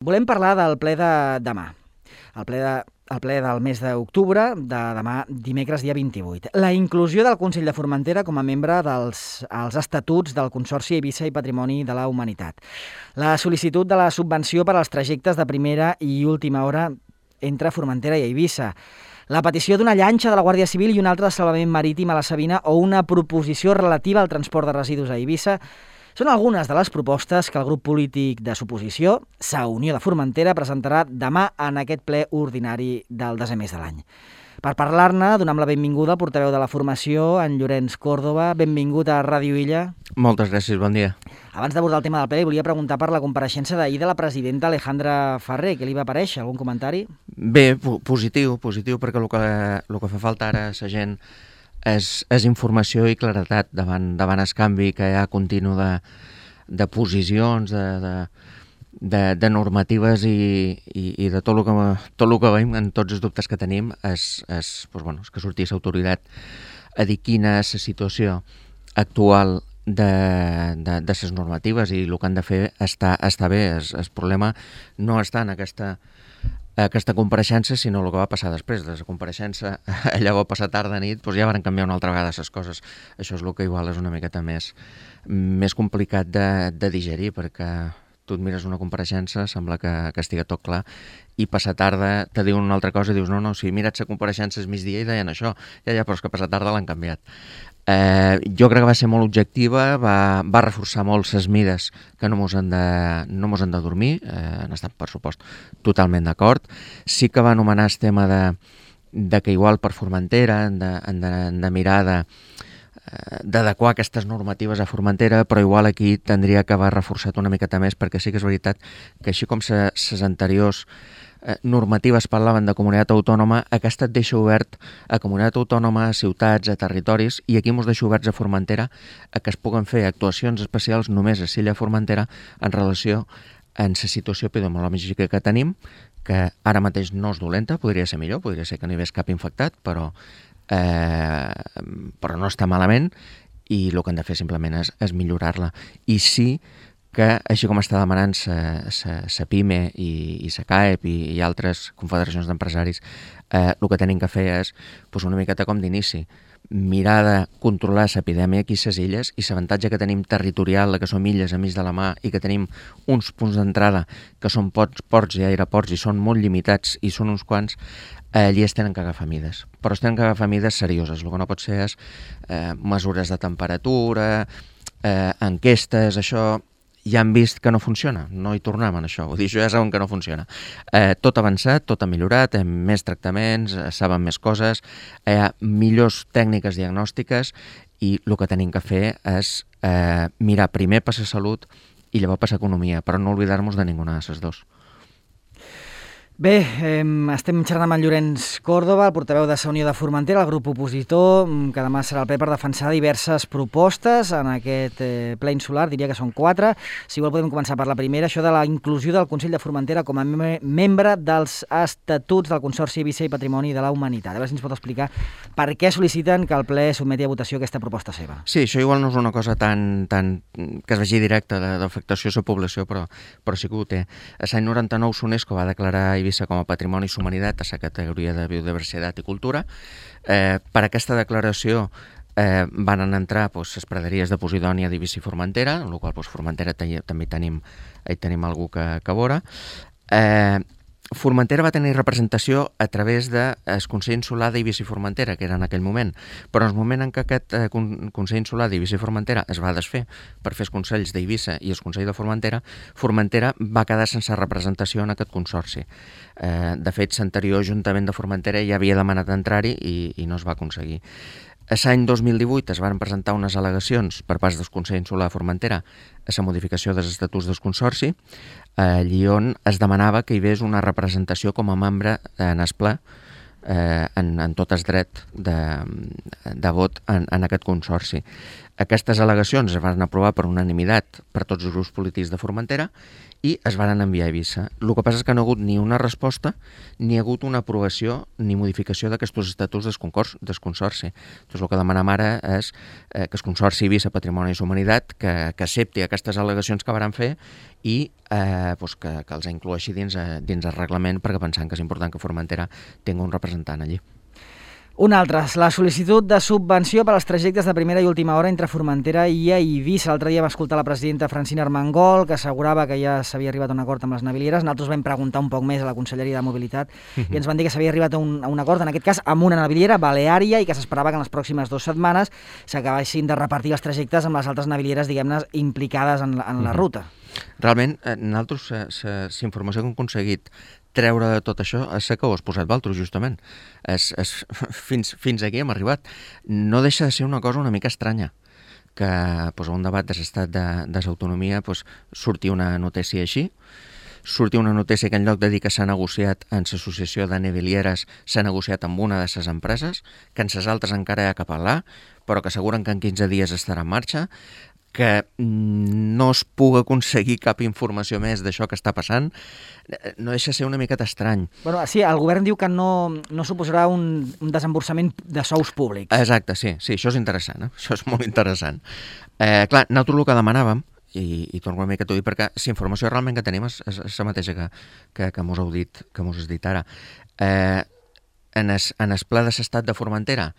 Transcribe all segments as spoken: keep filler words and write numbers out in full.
Volem parlar del ple de demà, el ple, de, el ple del mes d'octubre, de demà dimecres dia vint-i-vuit. La inclusió del Consell de Formentera com a membre dels als estatuts del Consorci Eivissa i Patrimoni de la Humanitat. La sol·licitud de la subvenció per als trajectes de primera i última hora entre Formentera i Eivissa. La petició d'una llanxa de la Guàrdia Civil i una altra de salvament marítim a la Sabina o una proposició relativa al transport de residus a Eivissa són algunes de les propostes que el grup polític de suposició, Sa Unió de Formentera, presentarà demà en aquest ple ordinari del desè mes de l'any. Per parlar-ne, donem la benvinguda al portaveu de la formació, en Llorenç Còrdova. Benvingut a Ràdio Illa. Moltes gràcies, bon dia. Abans d'abordar el tema del ple, volia preguntar per la compareixença d'ahir de la presidenta Alejandra Ferrer. Què li va aparèixer? Algun comentari? Bé, positiu, positiu, perquè el que, el que fa falta ara a la gent és, és informació i claretat davant, davant el canvi que hi ha continu de, de posicions, de, de, de, de normatives i, i, i de tot el, que, tot el que veiem, en tots els dubtes que tenim, és, és, doncs, bueno, és que sortís l'autoritat a dir quina és la situació actual de, de, de les normatives i el que han de fer està, està bé. El, el problema no està en aquesta aquesta compareixença, sinó el que va passar després de la compareixença. Allà va passar tarda nit, doncs ja van canviar una altra vegada les coses. Això és el que igual és una miqueta més, més complicat de, de digerir, perquè tu et mires una compareixença, sembla que, que estigui tot clar, i passar tarda te diuen una altra cosa i dius, no, no, si mira't la compareixença és migdia i deien això, ja, ja, però és que passar tarda l'han canviat. Eh, jo crec que va ser molt objectiva, va, va reforçar molt les mides que no mos han de, no mos han de dormir, eh, han estat, per supost, totalment d'acord. Sí que va anomenar el tema de, de que igual per Formentera han de, han de, han de mirar de, d'adequar aquestes normatives a Formentera, però igual aquí tindria que haver reforçat una miqueta més, perquè sí que és veritat que així com les anteriors eh, normatives parlaven de comunitat autònoma, aquesta et deixa obert a comunitat autònoma, a ciutats, a territoris, i aquí mos deixa oberts a Formentera a que es puguen fer actuacions especials només a l'illa Formentera en relació en la situació epidemiològica que tenim, que ara mateix no és dolenta, podria ser millor, podria ser que no hi hagués cap infectat, però Eh, però no està malament, i el que han de fer simplement és, és millorar-la. I sí que, així com està demanant la PIME i, i la CAEP i, i altres confederacions d'empresaris, eh, el que tenim que fer és pues, una miqueta com d'inici, mirar de controlar l'epidèmia aquí a les illes, i l'avantatge que tenim territorial, que som illes a mig de la mà i que tenim uns punts d'entrada que són ports, ports i aeroports i són molt limitats i són uns quants, allí es tenen que agafar mides, però es tenen que agafar mides serioses. El que no pot ser és eh, mesures de temperatura, eh, enquestes, això ja han vist que no funciona, no hi tornem en això, vull dir, això ja saben que no funciona. Eh, tot ha avançat, tot ha millorat, hem més tractaments, eh, saben més coses, hi ha millors tècniques diagnòstiques, i el que tenim que fer és eh, mirar primer per la salut i llavors per l'economia, però no oblidar-nos de ninguna de les dues. Bé, eh, estem xerrant amb en Llorenç Còrdova, el portaveu de Sa Unió de Formentera, el grup opositor, que demà serà el ple per defensar diverses propostes en aquest eh, ple insular, diria que són quatre. Si vol podem començar per la primera, això de la inclusió del Consell de Formentera com a me membre dels estatuts del Consorci Eivissa i Patrimoni de la Humanitat. A veure si ens pot explicar per què sol·liciten que el ple sotmeti a votació aquesta proposta seva. Sí, això igual no és una cosa tan, tan que es vegi directa d'afectació a la població, però, però sí que ho té. L'any noranta-nou l'UNESCO va declarar Eivissa com a Patrimoni i Humanitat a la categoria de biodiversitat i cultura. Eh, per aquesta declaració eh, van entrar pues, les praderies de Posidònia d'Eivissa i Formentera, en la qual pues, Formentera també tenim, hi tenim algú que, que vora. Eh, Formentera va tenir representació a través del Consell Insular d'Eivissa i Formentera, que era en aquell moment, però en el moment en què aquest eh, Consell Insular d'Eivissa i Formentera es va desfer per fer els Consells d'Eivissa i el Consell de Formentera, Formentera va quedar sense representació en aquest consorci. Eh, de fet, l'anterior Ajuntament de Formentera ja havia demanat entrar-hi i, i no es va aconseguir. L'any dos mil divuit es van presentar unes al·legacions per part del Consell Insular de Formentera a la modificació dels estatuts del Consorci, allí on es demanava que hi hagués una representació com a membre en el ple, eh, en, en tot el dret de, de vot en, en aquest Consorci. Aquestes al·legacions es van aprovar per unanimitat per tots els grups polítics de Formentera, i es van enviar a Eivissa. El que passa és que no ha hagut ni una resposta, ni ha hagut una aprovació ni modificació d'aquests estatuts del Consorci. Doncs el que demanem ara és eh, que el Consorci Eivissa Patrimoni i Humanitat que, que accepti aquestes al·legacions que varen fer i eh, doncs que, que els incloeixi dins, eh, dins el reglament, perquè pensant que és important que Formentera tingui un representant allí. Un altre, la sol·licitud de subvenció per als trajectes de primera i última hora entre Formentera i Eivissa. L'altre dia va escoltar la presidenta Francina Armengol, que assegurava que ja s'havia arribat a un acord amb les navilieres. Nosaltres vam preguntar un poc més a la Conselleria de Mobilitat uh-huh. i ens van dir que s'havia arribat a un, a un acord, en aquest cas amb una naviliera, Baleària, i que s'esperava que en les pròximes dues setmanes s'acabessin de repartir els trajectes amb les altres navilieres, diguem-ne, implicades en la, en la uh-huh. ruta. Realment, eh, nosaltres, la informació que hem aconseguit treure de tot això és que ho has posat Valtros, justament. És, és, fins, fins aquí hem arribat. No deixa de ser una cosa una mica estranya, que pues, a un debat de l'estat de, de l'autonomia pues, surti una notícia així, surti una notícia que en lloc de dir que s'ha negociat en l'associació de navilieres s'ha negociat amb una de les empreses, que en les altres encara hi ha que parlar, però que asseguren que en quinze dies estarà en marxa, que no es pugui aconseguir cap informació més d'això que està passant, no deixa de ser una miqueta estrany. Bueno, sí, el govern diu que no, no suposarà un, un desemborsament de sous públics. Exacte, sí, sí, això és interessant, eh? Això és molt interessant. Eh, clar, nosaltres el que demanàvem, i, i torno una mica a dir, perquè la informació realment que tenim és, és, és la mateixa que, que, que mos heu dit, que mos has dit ara. Eh, en el, en el ple de l'estat de Formentera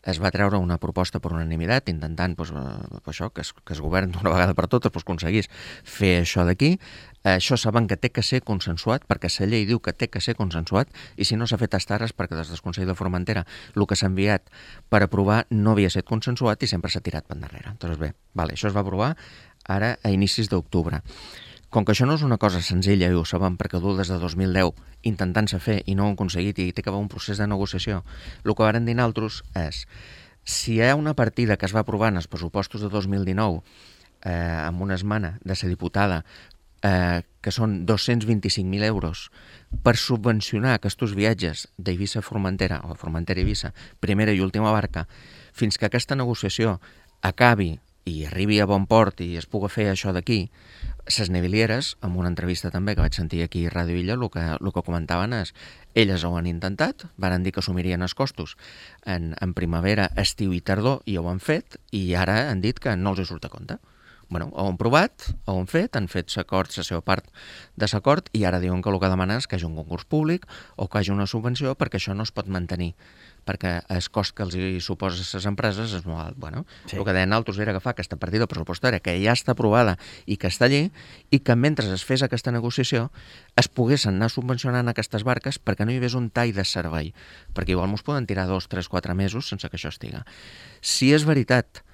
es va treure una proposta per unanimitat intentant pues, eh, això, que, es, que el govern d'una vegada per totes pues, aconseguís fer això d'aquí. Eh, això saben que té que ser consensuat, perquè la llei diu que té que ser consensuat, i si no s'ha fet estares perquè des del Consell de Formentera el que s'ha enviat per aprovar no havia estat consensuat i sempre s'ha tirat per darrere. Doncs bé, vale, això es va aprovar ara a inicis d'octubre. Com que això no és una cosa senzilla, i ho sabem perquè dur des de dos mil deu intentant-se fer i no ho han aconseguit i té que haver un procés de negociació, el que varen dir nosaltres és si hi ha una partida que es va aprovar en els pressupostos de dos mil dinou eh, amb una esmena de la diputada eh, que són dos-cents vint-i-cinc mil euros per subvencionar aquests viatges d'Eivissa a Formentera o Formentera a Eivissa, primera i última barca, fins que aquesta negociació acabi i arribi a bon port i es pugui fer això d'aquí, les navilieres, amb una entrevista també que vaig sentir aquí a Ràdio Illa, el que, el que comentaven és elles ho han intentat, van dir que assumirien els costos en, en primavera, estiu i tardor, i ho han fet, i ara han dit que no els hi surt a compte. Bueno, ho han provat, ho han fet, han fet l'acord, la seva part de l'acord, i ara diuen que el que demanen és que hi hagi un concurs públic o que hi hagi una subvenció, perquè això no es pot mantenir, perquè el cost que els hi suposa a les empreses és molt alt. Bueno, sí. El que deien altres era agafar aquesta partida pressupostària que ja està aprovada i que està allí, i que mentre es fes aquesta negociació es poguessin anar subvencionant aquestes barques perquè no hi hagués un tall de servei, perquè igual mos poden tirar dos, tres, quatre mesos sense que això estiga. Si és veritat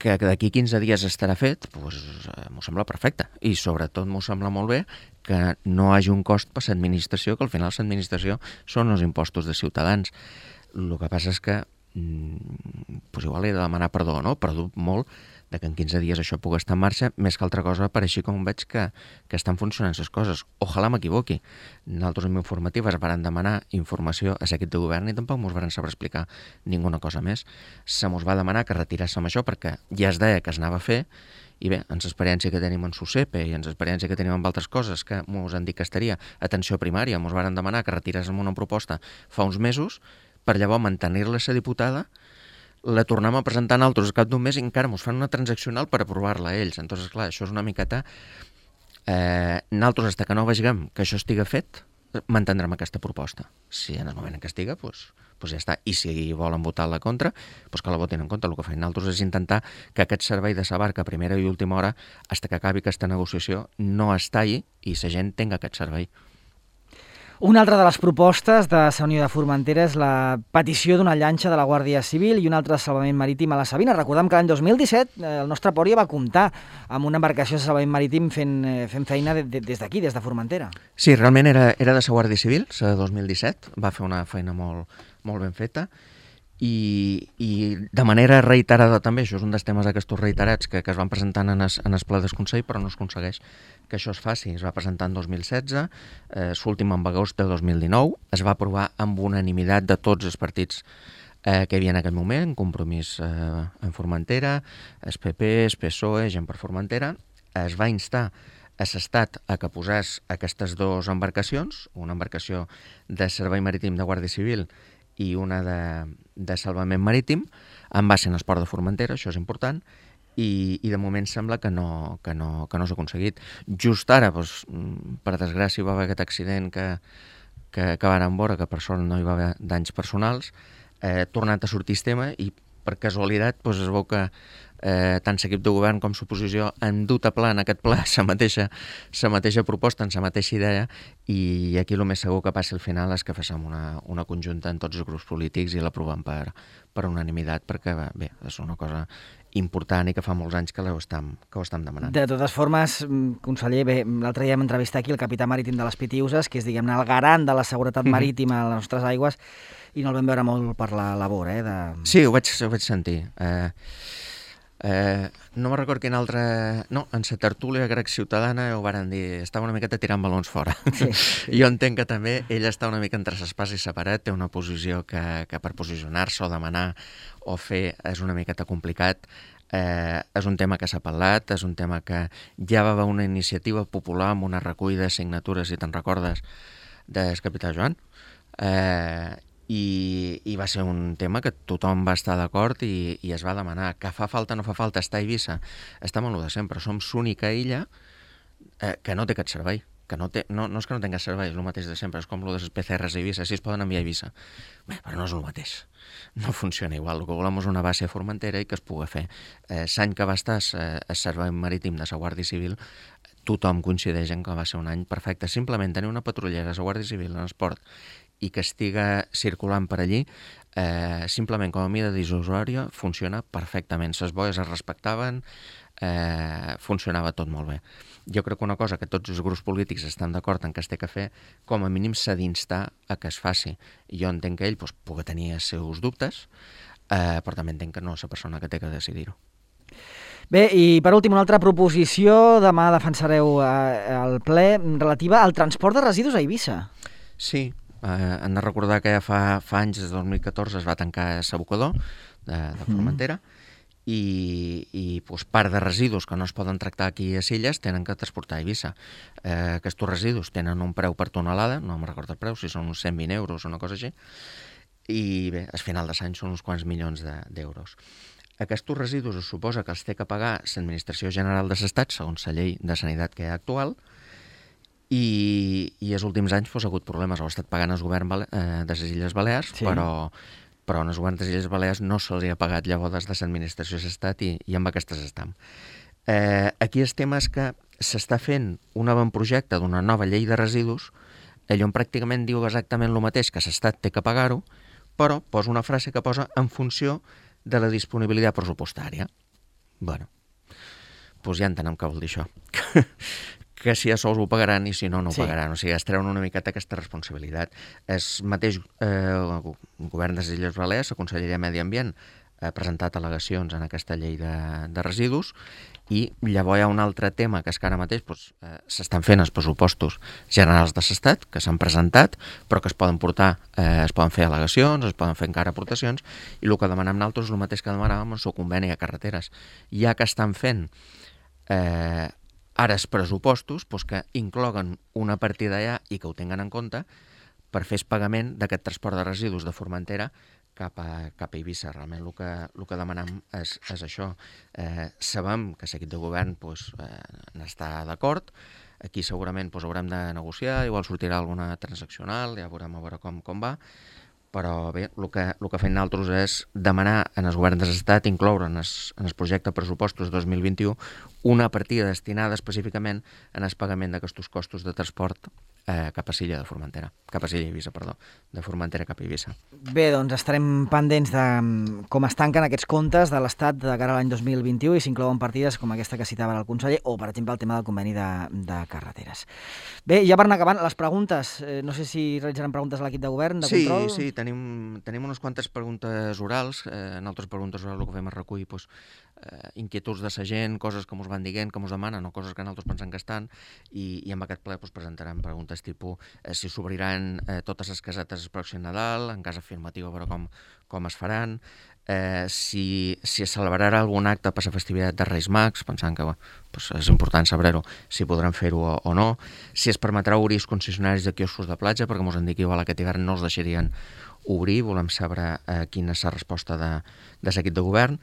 que d'aquí quinze dies estarà fet, doncs m'ho sembla perfecte. I sobretot m'ho sembla molt bé que no hi hagi un cost per l'administració, que al final l'administració són els impostos de ciutadans. El que passa és que doncs igual he de demanar perdó, no? Perdó molt de que en quinze dies això pugui estar en marxa, més que altra cosa per així com veig que, que estan funcionant les coses. Ojalà m'equivoqui. Nosaltres en informatives varen demanar informació a l'equip de govern i tampoc mos varen saber explicar ninguna cosa més. Se mos va demanar que retiràssim això perquè ja es deia que es anava a fer, i bé, en l'experiència que tenim en SUSEPE i en l'experiència que tenim amb altres coses que mos han dit que estaria, atenció primària, mos varen demanar que retiràssim una proposta fa uns mesos per llavors mantenir-la a la diputada, la tornem a presentar nosaltres al cap d'un mes i encara ens fan una transaccional per aprovar-la a ells. Entonces, clar, això és una miqueta... Eh, nosaltres, fins que no vegem que això estiga fet, mantindrem aquesta proposta. Si en el moment en què estiga, doncs, doncs ja està. I si volen votar la contra, doncs que la votin en contra. El que fem nosaltres és intentar que aquest servei de la barca a primera i última hora, fins que acabi aquesta negociació, no es talli i la gent tingui aquest servei. Una altra de les propostes de la Unió de Formentera és la petició d'una llanxa de la Guàrdia Civil i un altre salvament marítim a la Sabina. Recordem que l'any dos mil disset el nostre port ja va comptar amb una embarcació de salvament marítim fent, fent feina de, de, des d'aquí, des de Formentera. Sí, realment era, era de la Guàrdia Civil, la de dos mil disset, va fer una feina molt, molt ben feta. I, i de manera reiterada també, això és un dels temes aquests reiterats que, que es van presentant en el, en el ple del Consell, però no es aconsegueix que això es faci. Es va presentar en dos mil setze, eh, l'últim en agost de dos mil dinou, es va aprovar amb unanimitat de tots els partits eh, que hi havia en aquell moment, Compromís eh, en Formentera, el P P, el P S O E, Gent per Formentera. Es va instar a l'Estat a que posés aquestes dues embarcacions, una embarcació de servei marítim de Guàrdia Civil i una de, de salvament marítim, en base en el port de Formentera, això és important, i, i de moment sembla que no, que no, que no s'ha aconseguit. Just ara, doncs, per desgràcia, va haver aquest accident que, que, que van veure, que per sort no hi va haver danys personals, eh, tornat a sortir el tema i per casualitat doncs, es veu que eh, tant l'equip de govern com l'oposició han dut a pla en aquest ple la mateixa, la mateixa proposta, en la mateixa idea, i aquí el més segur que passi al final és que facem una, una conjunta en tots els grups polítics i l'aprovem per, per unanimitat, perquè bé, és una cosa important i que fa molts anys que ho estem, que ho estem demanant. De totes formes, conseller, bé, l'altre dia vam entrevistar aquí el capità marítim de les Pitiüses, que és, diguem-ne, el garant de la seguretat marítima a les nostres aigües, i no el vam veure molt per la labor, eh? De... Sí, ho vaig, ho vaig sentir. Eh, eh, no me'n recordo quin altre... No, en la tertúlia grec ciutadana ho varen dir, estava una miqueta tirant balons fora. Sí, sí. Jo entenc que també ell està una mica entre l'espasa i la paret, té una posició que, que per posicionar-se o demanar o fer és una miqueta complicat. Eh, és un tema que s'ha parlat, és un tema que ja va haver una iniciativa popular amb una recollida de signatures, si te'n recordes, del capità Joan, eh, i, i va ser un tema que tothom va estar d'acord i, i es va demanar. Que fa falta o no fa falta estar a Eivissa? Estem en el de sempre, som l'única illa eh, que no té aquest servei. Que no, té, no, no és que no tinga servei, és el mateix de sempre, és com el de les P C Rs a Eivissa, si es poden enviar a Eivissa. Bé, però no és el mateix, no funciona igual. El que volem és una base a Formentera i que es pugui fer. Eh, L'any que va estar eh, el servei marítim de la Guàrdia Civil, tothom coincideix en que va ser un any perfecte. Simplement tenir una patrullera de la Guàrdia Civil en el port i que estiga circulant per allí, eh, simplement com a mida disuasòria funciona perfectament. Les boies es respectaven, eh, funcionava tot molt bé. Jo crec que una cosa que tots els grups polítics estan d'acord en que es té que fer, com a mínim s'ha d'instar a que es faci. Jo entenc que ell doncs, pugui tenir els seus dubtes, eh, però també entenc que no és la persona que té que decidir-ho. Bé, i per últim, una altra proposició, demà defensareu eh, el ple, relativa al transport de residus a Eivissa. Sí, eh, hem de recordar que ja fa, fa anys, des del dos mil catorze, es va tancar l'abocador de, de Formentera, mm. i, i doncs, part de residus que no es poden tractar aquí a Illes tenen que transportar a Eivissa. Eh, aquests residus tenen un preu per tonelada, no me'n recordo el preu, si són uns cent vint euros o una cosa així, i bé, al final de l'any són uns quants milions d'euros. De, Aquests residus es suposa que els té que pagar l'Administració General de l'Estat, segons la llei de sanitat que hi ha actual, i, i els últims anys doncs, ha hagut problemes. Ho ha estat pagant el govern eh, de les Illes Balears, sí. però, però en el govern de les Illes Balears no se'ls ha pagat llavors des de l'Administració de l'Estat i, i amb aquestes estem. Eh, aquí el tema és que s'està fent un avantprojecte d'una nova llei de residus, allò on pràcticament diu exactament el mateix, que l'Estat té que pagar-ho, però posa una frase que posa en funció de la disponibilitat pressupostària. Bueno, doncs ja entenem què vol dir això. Que si a sols ho pagaran i si no, no ho sí. pagaran. O sigui, es treuen una miqueta aquesta responsabilitat. El mateix eh, govern de les Illes Balears, la Conselleria de Medi Ambient, ha presentat al·legacions en aquesta llei de, de residus i llavors hi ha un altre tema que és que ara mateix doncs, eh, s'estan fent els pressupostos generals de l'Estat, que s'han presentat, però que es poden portar, eh, es poden fer al·legacions, es poden fer encara aportacions, i el que demanem nosaltres és el mateix que demanàvem en el seu conveni a carreteres. Ja que estan fent eh, ara els pressupostos, doncs que incloguen una partida allà i que ho tinguen en compte per fer el pagament d'aquest transport de residus de Formentera cap a, cap a Eivissa. Realment el que, el que demanem és, és això. Eh, sabem que l'equip de govern doncs, eh, n'està d'acord. Aquí segurament doncs, haurem de negociar, igual sortirà alguna transaccional, ja veurem a veure com, com va. Però bé, el que, el que fem nosaltres és demanar en els governs de l'Estat incloure en el, en el projecte de pressupostos dos mil vint-i-u una partida destinada específicament en el pagament d'aquests costos de transport eh, cap a Silla de Formentera, cap a Silla Eivissa, perdó, de Formentera cap a Eivissa. Bé, doncs estarem pendents de com es tanquen aquests comptes de l'Estat de cara a l'any dos mil vint-i-u i s'inclouen partides com aquesta que citava el conseller o, per exemple, el tema del conveni de, de carreteres. Bé, ja per anar acabant, les preguntes. Eh, no sé si realitzaran preguntes a l'equip de govern, de sí, control? Sí, sí, tenim, tenim unes quantes preguntes orals. Eh, en altres preguntes orals el que fem és recollir doncs, eh, inquietuds de la gent, coses que ens van dient, que ens demanen, o coses que nosaltres pensem que estan, i, i amb aquest ple pues, presentarem preguntes tipus eh, si s'obriran eh, totes les casetes el pròxim Nadal, en cas afirmatiu a veure com, com es faran, eh, si, si es celebrarà algun acte per la festivitat de Reis Mags, pensant que bueno, pues és important saber-ho, si podran fer-ho o, o no, si es permetrà obrir els concessionaris de quioscos de platja, perquè ens han dit que igual aquest hivern no els deixarien obrir, volem saber eh, quina és la resposta de, de l'equip de govern,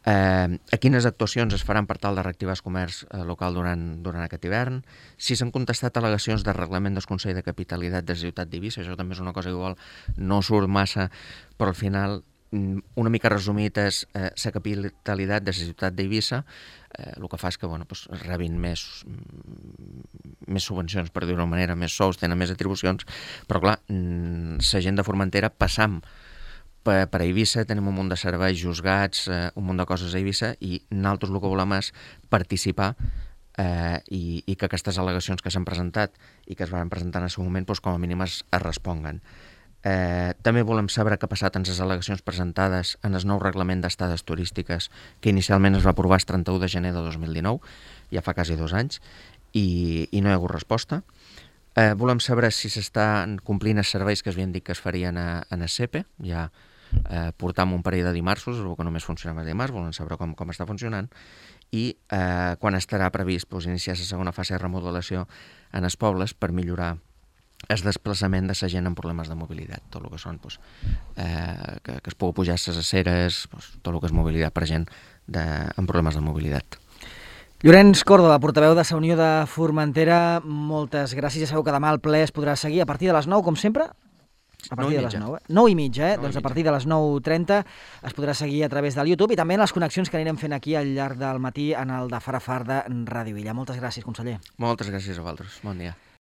eh, a quines actuacions es faran per tal de reactivar el comerç eh, local durant, durant aquest hivern, si s'han contestat al·legacions de reglament del Consell de Capitalitat de la ciutat d'Eivissa, això també és una cosa que igual no surt massa, però al final una mica resumit és eh, la capitalitat de la ciutat d'Eivissa, eh, el que fa és que bueno, pues, rebin més, més subvencions, per dir-ho d'una manera, més sous, tenen més atribucions, però clar, la gent de Formentera passam per, per Eivissa, tenim un munt de serveis, juzgats, eh, un munt de coses a Eivissa, i nosaltres el que volem és participar eh, i, i que aquestes al·legacions que s'han presentat i que es van presentar en el seu moment, pues, com a mínim es, es responguen. Eh, també volem saber què ha passat en les al·legacions presentades en el nou reglament d'estades turístiques que inicialment es va aprovar el trenta-u de gener de dos mil dinou, ja fa quasi dos anys, i, i no hi ha hagut resposta. Eh, volem saber si s'estan complint els serveis que es havien dit que es farien a, a el C E P E, ja eh, portam un parell de dimartsos, el que només funcionava dimarts, volem saber com, com està funcionant, i eh, quan estarà previst pues, iniciar la segona fase de remodelació en els pobles per millorar el desplaçament de la gent amb problemes de mobilitat, tot el que són pues, eh, que, que es pugui pujar les aceres, pues, tot el que és mobilitat per gent de, amb problemes de mobilitat. Llorenç Còrdova, portaveu de la Unió de Formentera, moltes gràcies. Ja sabeu que demà el ple es podrà seguir a partir de les nou, com sempre? A partir de les nou, eh? nou i mitja, eh? Doncs a partir de les nou trenta es podrà seguir a través del YouTube i també en les connexions que anirem fent aquí al llarg del matí en el de Farafar de Ràdio Illa. Moltes gràcies, conseller. Moltes gràcies a vosaltres. Bon dia.